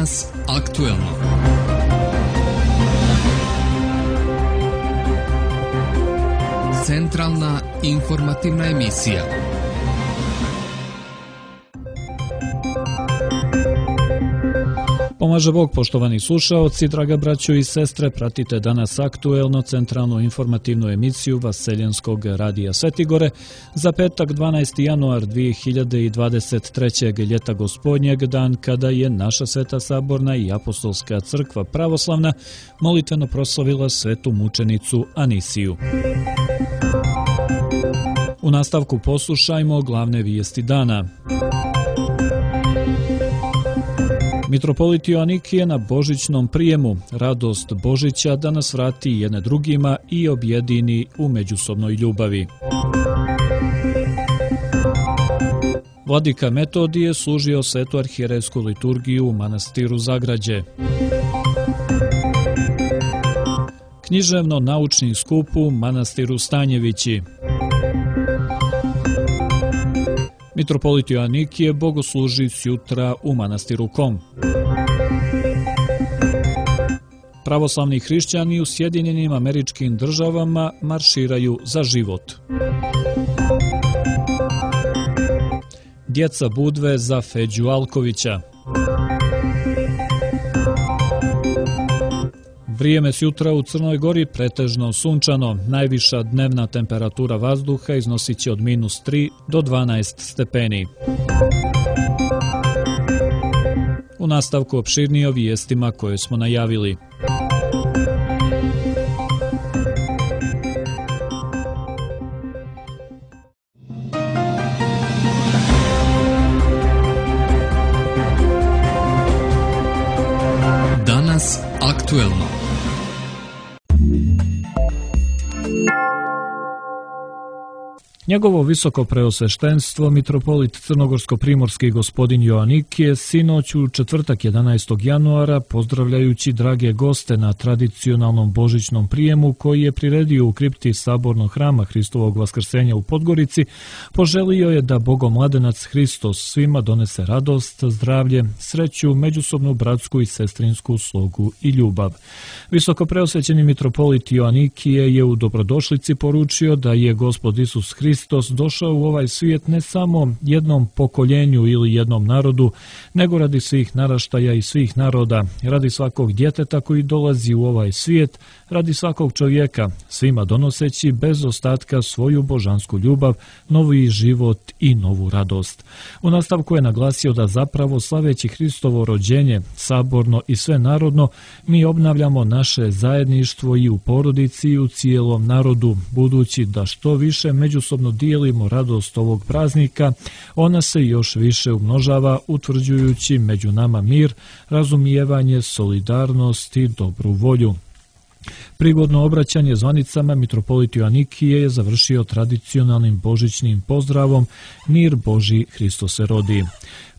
Danas aktuelno. Centralna informativna emisija. Pomaže Bog, poštovani slušaoci, draga braćo i sestre, pratite danas aktuelno centralnu informativnu emisiju Vaseljenskog radija Svetigore za petak 12. januar 2023. ljeta gospodnjeg, dan kada je naša Sveta Saborna i Apostolska crkva pravoslavna molitveno proslavila svetu mučenicu Anisiju. U nastavku poslušajmo glavne vijesti dana. Mitropolit Joanikije na božićnom prijemu, radost Božića da nas vrati jedne drugima i objedini u međusobnoj ljubavi. Vladika Metodije služio svetu arhijerejsku liturgiju u manastiru Zagrađe. Književno-naučni skup u manastiru Stanjevići. Mitropolit Joanikije bogosluži sjutra u manastiru Kom. Pravoslavni hrišćani u Sjedinjenim Američkim Državama marširaju za život. Djeca Budve za Feđu Alkovića. Vrijeme sjutra u Crnoj Gori pretežno sunčano, najviša dnevna temperatura vazduha iznosit će od -3 do 12 stepeni. U nastavku opširnije o vijestima koje smo najavili. Danas aktuelno. Njegovo visoko preosveštenstvo, mitropolit crnogorsko-primorski gospodin Joanikije, sinoć u četvrtak 11. januara, pozdravljajući drage goste na tradicionalnom božićnom prijemu koji je priredio u kripti Sabornog hrama Hristovog vaskrsenja u Podgorici, poželio je da Bogomladenac Hristos svima donese radost, zdravlje, sreću, međusobnu bratsku i sestrinsku slogu i ljubav. Visoko preosvećeni mitropolit Joanikije je u dobrodošlici poručio da je Gospod Isus Hristos došao u ovaj svijet ne samo jednom pokoljenju ili jednom narodu, nego radi svih naraštaja i svih naroda, radi svakog djeteta koji dolazi u ovaj svijet, radi svakog čovjeka, svima donoseći bez ostatka svoju božansku ljubav, novi život i novu radost. U nastavku je naglasio da zapravo slaveći Hristovo rođenje, saborno i sve narodno, mi obnavljamo naše zajedništvo i u porodici i u cijelom narodu, budući da što više međusobno dijelimo radost ovog praznika, ona se još više umnožava, utvrđujući među nama mir, razumijevanje, solidarnost i dobru volju. Prigodno obraćanje zvanicama mitropolit Joanikije je završio tradicionalnim božićnim pozdravom Mir Božji, Hristos se rodi.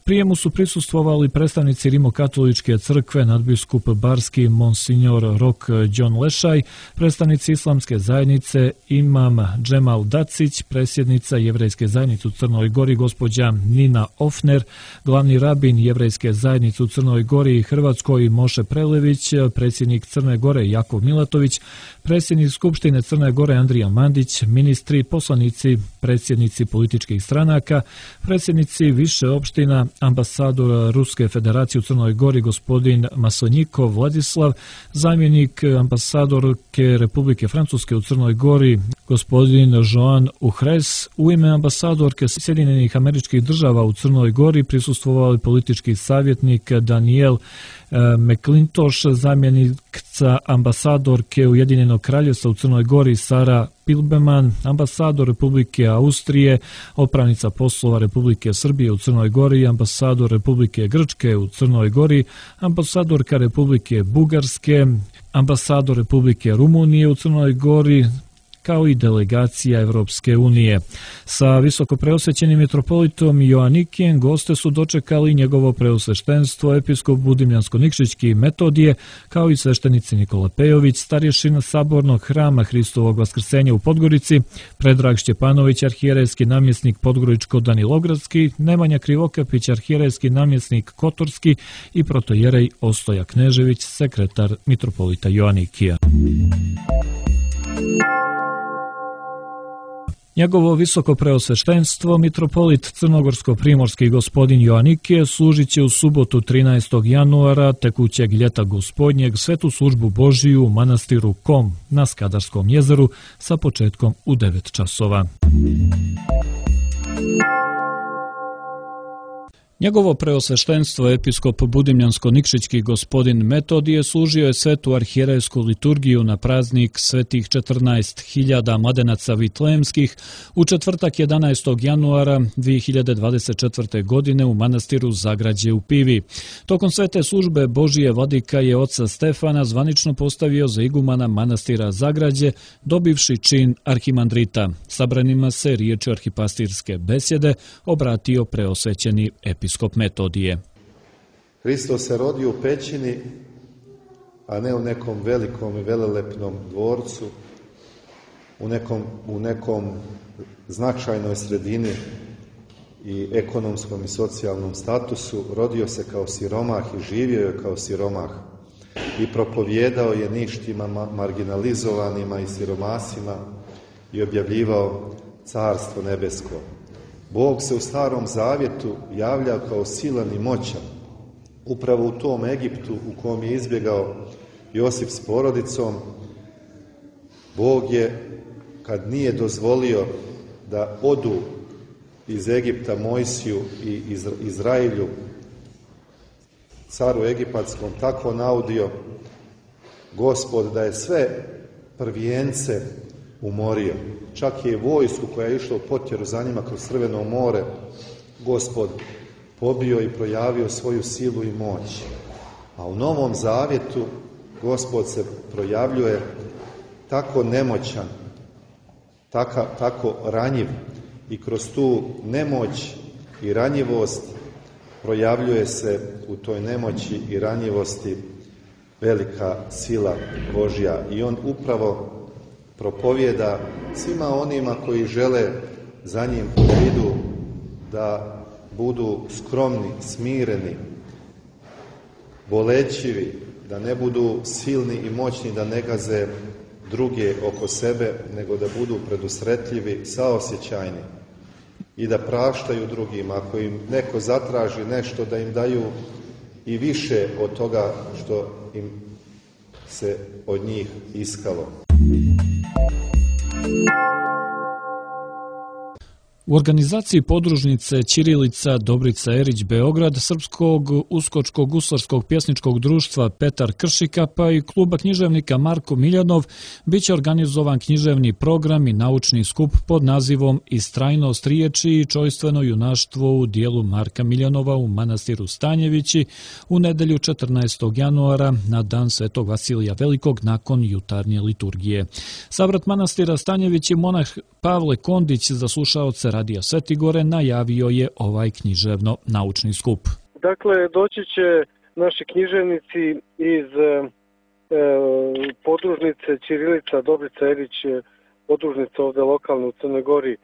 Prijemu su prisustvovali predstavnici Rimokatoličke crkve, nadbiskup Barski Monsignor Rok John Lešaj, predstavnici Islamske zajednice Imam Džemal Dacić, predsjednica Jevrejske zajednice u Crnoj Gori gospođa Nina Ofner, glavni rabin Jevrejske zajednice u Crnoj Gori i Hrvatskoj Moše Prelević, predsjednik Crne Gore Jakov Milatović, predsjednik Skupštine Crne Gore Andrija Mandić, ministri, poslanici, predsjednici političkih stranaka, predsjednici više opština, ambasador Ruske federacije u Crnoj Gori gospodin Masonjikov Vladislav, zamjenik ambasadorke Republike Francuske u Crnoj Gori gospodin Joan Uhres, u ime ambasadorke Sjedinjenih Američkih Država u Crnoj Gori prisustvovali politički savjetnik Daniel McClintosh, zamjenica ambasadorke Ujedinjenog Kraljevstva u Crnoj Gori Sara Pilbeman, ambasador Republike Austrije, otpravnica poslova Republike Srbije u Crnoj Gori, ambasador Republike Grčke u Crnoj Gori, ambasadorka Republike Bugarske, ambasador Republike Rumunije u Crnoj Gori, kao i delegacija Evropske unije. Sa visokopreosvećenim mitropolitom Joanikijem goste su dočekali njegovo preosveštenstvo episkop Budimljansko-Nikšićki Metodije, kao i sveštenici Nikola Pejović, starješina Sabornog hrama Hristovog Vaskrsenja u Podgorici, Predrag Šćepanović, arhijerejski namjesnik Podgoričko-Danilogradski, Nemanja Krivokapić, arhijerejski namjesnik Kotorski i protojerej Ostoja Knežević, sekretar mitropolita Joanikija. Njegovo visoko preosveštenstvo, mitropolit crnogorsko-primorski gospodin Joanikije, služit će u subotu 13. januara tekućeg ljeta gospodnjeg svetu službu Božiju u manastiru Kom na Skadarskom jezeru sa početkom u 9 časova. Njegovo preosveštenstvo episkop Budimljansko-Nikšićki gospodin Metodije služio je svetu arhijerejsku liturgiju na praznik svetih 14.000 mladenaca vitlemskih u četvrtak 11. januara 2024. godine u manastiru Zagrađe u Pivi. Tokom svete službe Božije vladika je oca Stefana zvanično postavio za igumana manastira Zagrađe, dobivši čin arhimandrita. Sabranima se riječi arhipastirske besjede obratio preosvećeni episkop Metodije. Hristos se rodio u pećini, a ne u nekom velikom i velelepnom dvorcu, u nekom značajnoj sredini i ekonomskom i socijalnom statusu. Rodio se kao siromah i živio je kao siromah i propovijedao je ništima, marginalizovanima i siromasima i objavljivao carstvo nebesko. Bog se u Starom Zavjetu javlja kao silan i moćan. Upravo u tom Egiptu u kom je izbjegao Josip s porodicom, Bog je, kad nije dozvolio da odu iz Egipta Mojsiju i Izrailju, caru egipatskom, tako naudio Gospod da je sve prvijence umorio. Čak je vojsku koja je išla u potjeru za njima kroz Crveno more, Gospod pobio i projavio svoju silu i moć. A u Novom Zavjetu Gospod se projavljuje tako nemoćan, tako ranjiv i kroz tu nemoć i ranjivost projavljuje se u toj nemoći i ranjivosti velika sila Božja. I on upravo propovijeda svima onima koji žele za njim da idu, da budu skromni, smireni, bolećivi, da ne budu silni i moćni, da ne gaze druge oko sebe, nego da budu predusretljivi, saosjećajni i da praštaju drugima. Ako im neko zatraži nešto, da im daju i više od toga što im se od njih iskalo. U organizaciji podružnice Ćirilica Dobrica Erić Beograd, Srpskog uskočkog guslarskog pjesničkog društva Petar Kršikapa i kluba književnika Marko Miljanov biće organizovan književni program i naučni skup pod nazivom Istrajnost riječi i čojstveno junaštvo u dijelu Marka Miljanova u manastiru Stanjevići u nedjelju 14. januara na dan Svetog Vasilija Velikog nakon jutarnje liturgije. Savrat manastira Stanjevići monah Pavle Kondić za slušaoce Radija Svetigore najavio je ovaj književno-naučni skup. Dakle, doći će naši književnici iz podružnice Ćirilica Dobrica Erić, podružnica ovdje lokalne u Crnoj Gori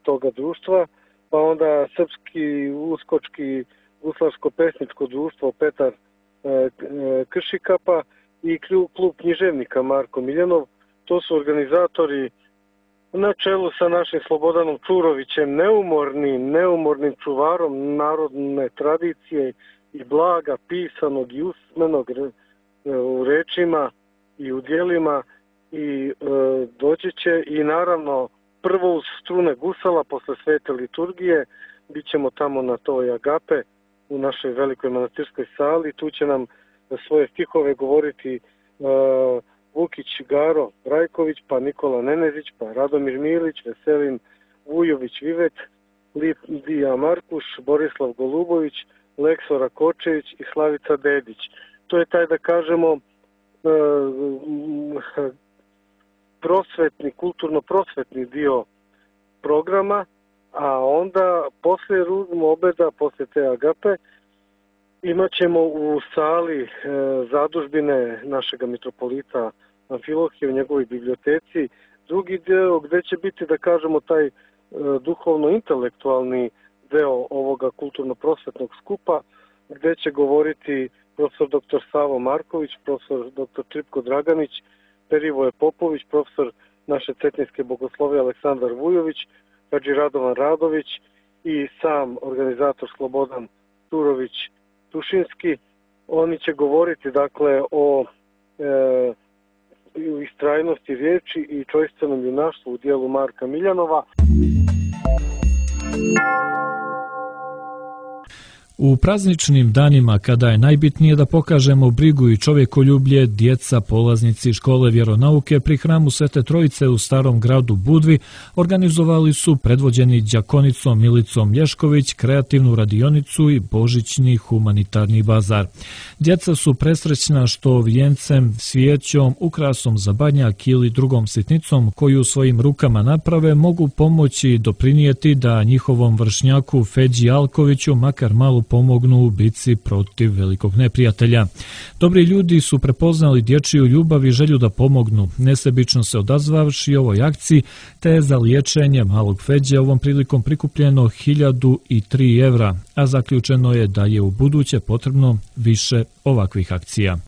toga društva, pa onda Srpski uskočki guslarsko-pesničko društvo Petar Kršikapa i klub književnika Marko Miljanov. To su organizatori na čelu sa našim Slobodanom Čurovićem, neumornim čuvarom narodne tradicije i blaga pisanog i usmenog u rečima i u djelima, i doći će i naravno prvo uz strune gusala posle svete liturgije. Bićemo tamo na toj agape u našoj velikoj manastirskoj sali. Tu će nam svoje stihove govoriti Vukić Garo Rajković, pa Nikola Nenezić, pa Radomir Milić, Veselin Vujović Vivet, Lidija Markuš, Borislav Golubović, Leksora Kočević i Slavica Dedić. To je taj, da kažemo, prosvetni, kulturno-prosvetni dio programa, a onda posle ruzmu obeda, posle te agape, imat ćemo u sali zadužbine našega mitropolita Amfilohije u njegovoj biblioteci drugi deo gde će biti, da kažemo, taj duhovno-intelektualni deo ovoga kulturno-prosvetnog skupa, gde će govoriti profesor dr. Savo Marković, profesor dr. Čipko Draganić, Perivoje Popović, profesor naše cetinjske bogoslovije Aleksandar Vujović, Hadži Radovan Radović i sam organizator Slobodan Turović Tušinski. Oni će govoriti, dakle, o istrajnosti riječi i čojstvenom junaštvu u dijelu Marka Miljanova. U prazničnim danima, kada je najbitnije da pokažemo brigu i čovjekoljublje, djeca, polaznici škole vjeronauke pri hramu Svete Trojice u Starom gradu Budvi organizovali su, predvođeni đakonicom Milicom Lješković, kreativnu radionicu i božićni humanitarni bazar. Djeca su presrećna što vijencem, svijećom, ukrasom za badnjak ili drugom sitnicom koju svojim rukama naprave mogu pomoći i doprinijeti da njihovom vršnjaku Feđi Alkoviću makar malo pomognu u bici protiv velikog neprijatelja. Dobri ljudi su prepoznali dječju ljubav i želju da pomognu, nesebično se odazvavši ovoj akciji, te je za liječenje malog Feđe ovom prilikom prikupljeno 1003 evra, a zaključeno je da je u buduće potrebno više ovakvih akcija.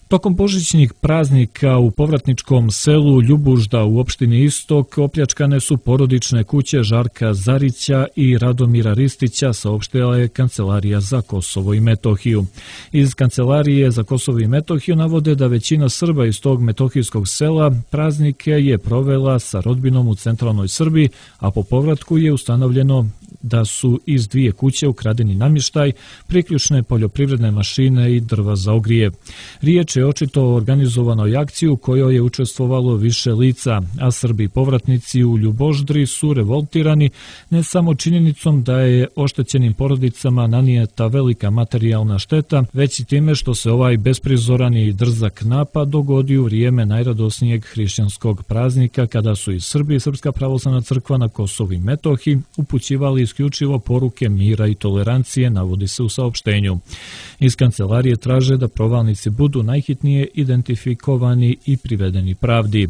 Tokom božićnih praznika u povratničkom selu Ljubužda u opštini Istok opljačkane su porodične kuće Žarka Zarića i Radomira Ristića, saopštila je Kancelarija za Kosovo i Metohiju. Iz Kancelarije za Kosovo i Metohiju navode da većina Srba iz tog metohijskog sela praznike je provela sa rodbinom u centralnoj Srbiji, a po povratku je ustanovljeno da su iz 2 kuće ukradeni namještaj, priključne poljoprivredne mašine i drva za ogrije. Riječ je očito o organizovanoj akciji u kojoj je učestvovalo više lica, a Srbi povratnici u Ljuboždri su revoltirani ne samo činjenicom da je oštećenim porodicama nanijeta velika materijalna šteta, već i time što se ovaj besprizoran i drzak napad dogodio u vrijeme najradosnijeg hrišćanskog praznika, kada su i Srbi i Srpska pravoslavna crkva na Kosovu i Metohiji upućivali isključivo poruke mira i tolerancije, navodi se u saopštenju. Iz kancelarije traže da provalnici budu najhitnije identifikovani i privedeni pravdi.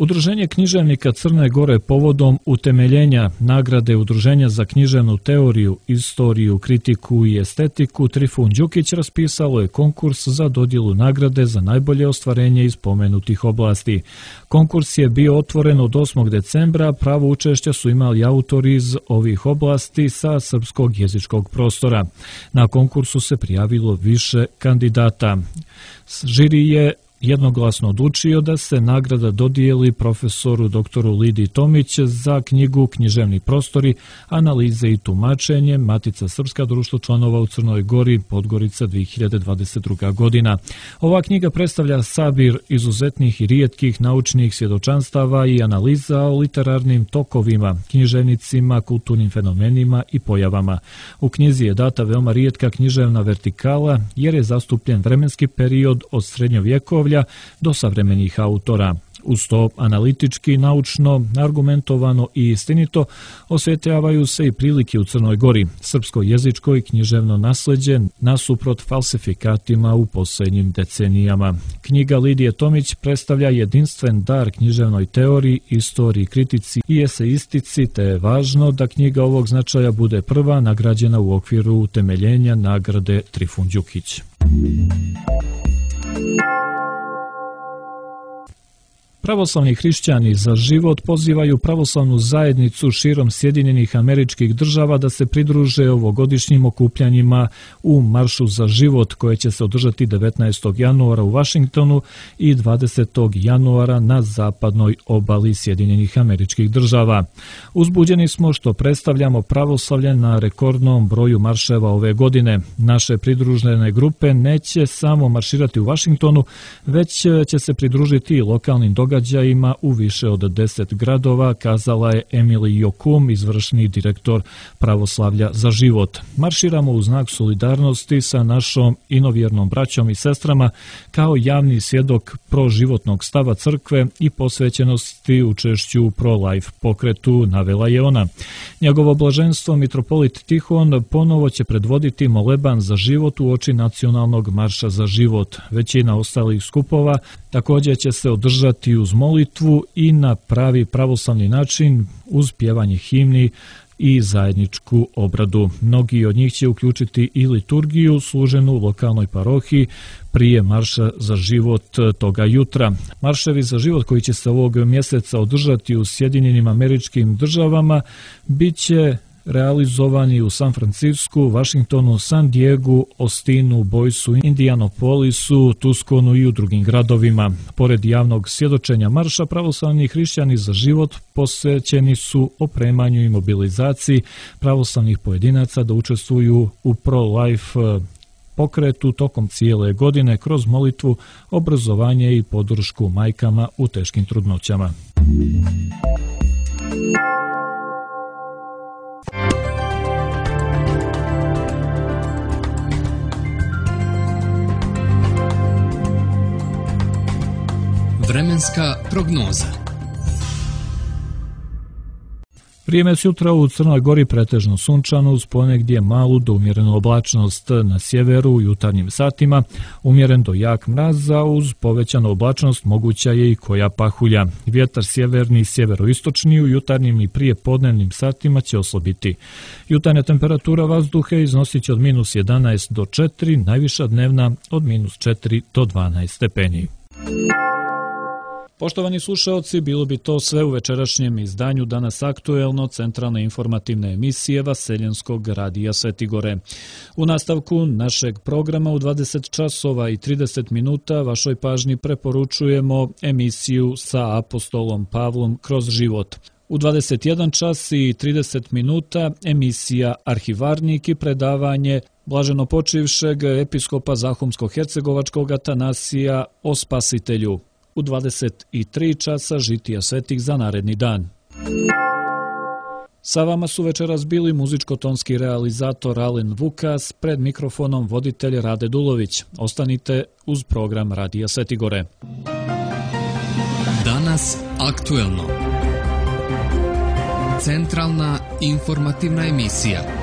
Udruženje književnika Crne Gore povodom utemeljenja nagrade Udruženja za književnu teoriju, istoriju, kritiku i estetiku Trifun Đukić raspisalo je konkurs za dodjelu nagrade za najbolje ostvarenje iz pomenutih oblasti. Konkurs je bio otvoren od 8. decembra, pravo učešća su imali autori iz ovih oblasti sa srpskog jezičkog prostora. Na konkursu se prijavilo više kandidata. Žiri je jednoglasno odlučio da se nagrada dodijeli profesoru doktoru Lidiji Tomić za knjigu Književni prostori, analize i tumačenje, Matica Srpska, društvo članova u Crnoj Gori, Podgorica, 2022. godina. Ova knjiga predstavlja sabir izuzetnih i rijetkih naučnih svjedočanstava i analiza o literarnim tokovima, književnicima, kulturnim fenomenima i pojavama. U knjizi je data veoma rijetka književna vertikala jer je zastupljen vremenski period od srednjovjekovlja do savremenih autora. Uz to analitički, naučno, argumentovano i istinito osvjetljavaju se i prilike u Crnoj Gori, srpsko jezičko i književno nasleđe nasuprot falsifikatima u posljednjim decenijama. Knjiga Lidije Tomić predstavlja jedinstven dar književnoj teoriji, istoriji, kritici i eseistici, te je važno da knjiga ovog značaja bude prva nagrađena u okviru utemeljenja nagrade Trifun Đukić. Pravoslavni hrišćani za život pozivaju pravoslavnu zajednicu širom Sjedinjenih Američkih Država da se pridruže ovogodišnjim okupljanjima u Maršu za život koje će se održati 19. januara u Vašingtonu i 20. januara na zapadnoj obali Sjedinjenih Američkih Država. Uzbuđeni smo što predstavljamo pravoslavlje na rekordnom broju marševa ove godine. Naše pridružene grupe neće samo marširati u Vašingtonu, već će se pridružiti i lokalnim događajima događajima u više od 10 gradova, kazala je Emily Jokum, izvršni direktor Pravoslavlja za život. Marširamo u znak solidarnosti sa našom inovjernom braćom i sestrama kao javni svjedok proživotnog stava crkve i posvećenosti učešću u pro-life pokretu, navela je ona. Njegovo blaženstvo mitropolit Tihon ponovo će predvoditi moleban za život u oči nacionalnog marša za život. Većina ostalih skupova također će se održati uz molitvu i na pravi pravoslavni način uz pjevanje himni i zajedničku obradu. Mnogi od njih će uključiti i liturgiju služenu u lokalnoj parohiji prije marša za život toga jutra. Marševi za život koji će se ovog mjeseca održati u Sjedinjenim Američkim Državama bit će realizovani u San Francisku, Washingtonu, San Diegu, Austinu, Boysu, Indianapolisu, Tucsonu i u drugim gradovima. Pored javnog svjedočenja marša, pravoslavni hrišćani za život posvećeni su opremanju i mobilizaciji pravoslavnih pojedinaca da učestvuju u pro-life pokretu tokom cijele godine kroz molitvu, obrazovanje i podršku majkama u teškim trudnoćama. Vremenska prognoza. Vrijeme sutra u Crnoj Gori pretežno sunčano uz ponegdje malu do umjerenu oblačnost, na sjeveru u jutarnjim satima umjeren do jak mraz, a uz povećanu oblačnost moguća je i koja pahulja. Vjetar sjeverni i sjeveroistočni u jutarnjim i prije podnevnim satima će oslabiti. Jutarnja temperatura vazduha iznosit će od -11 do 4, najviša dnevna od -4 do 12 stepeni. Poštovani slušaoci, bilo bi to sve u večerašnjem izdanju Danas aktuelno, centralne informativne emisije Vaseljenskog radija Svetigore. U nastavku našeg programa u 20 časova i 30 minuta vašoj pažnji preporučujemo emisiju sa apostolom Pavlom kroz život. U 21 čas i 30 minuta emisija Arhivarnik i predavanje blaženo počivšeg episkopa Zahumsko-hercegovačkog Atanasija o Spasitelju. U 23 časa žitija svetih za naredni dan. Sa vama su večeras bili muzičko-tonski realizator Alen Vukas, pred mikrofonom voditelj Rade Dulović. Ostanite uz program Radija Svetigore. Danas aktuelno. Centralna informativna emisija.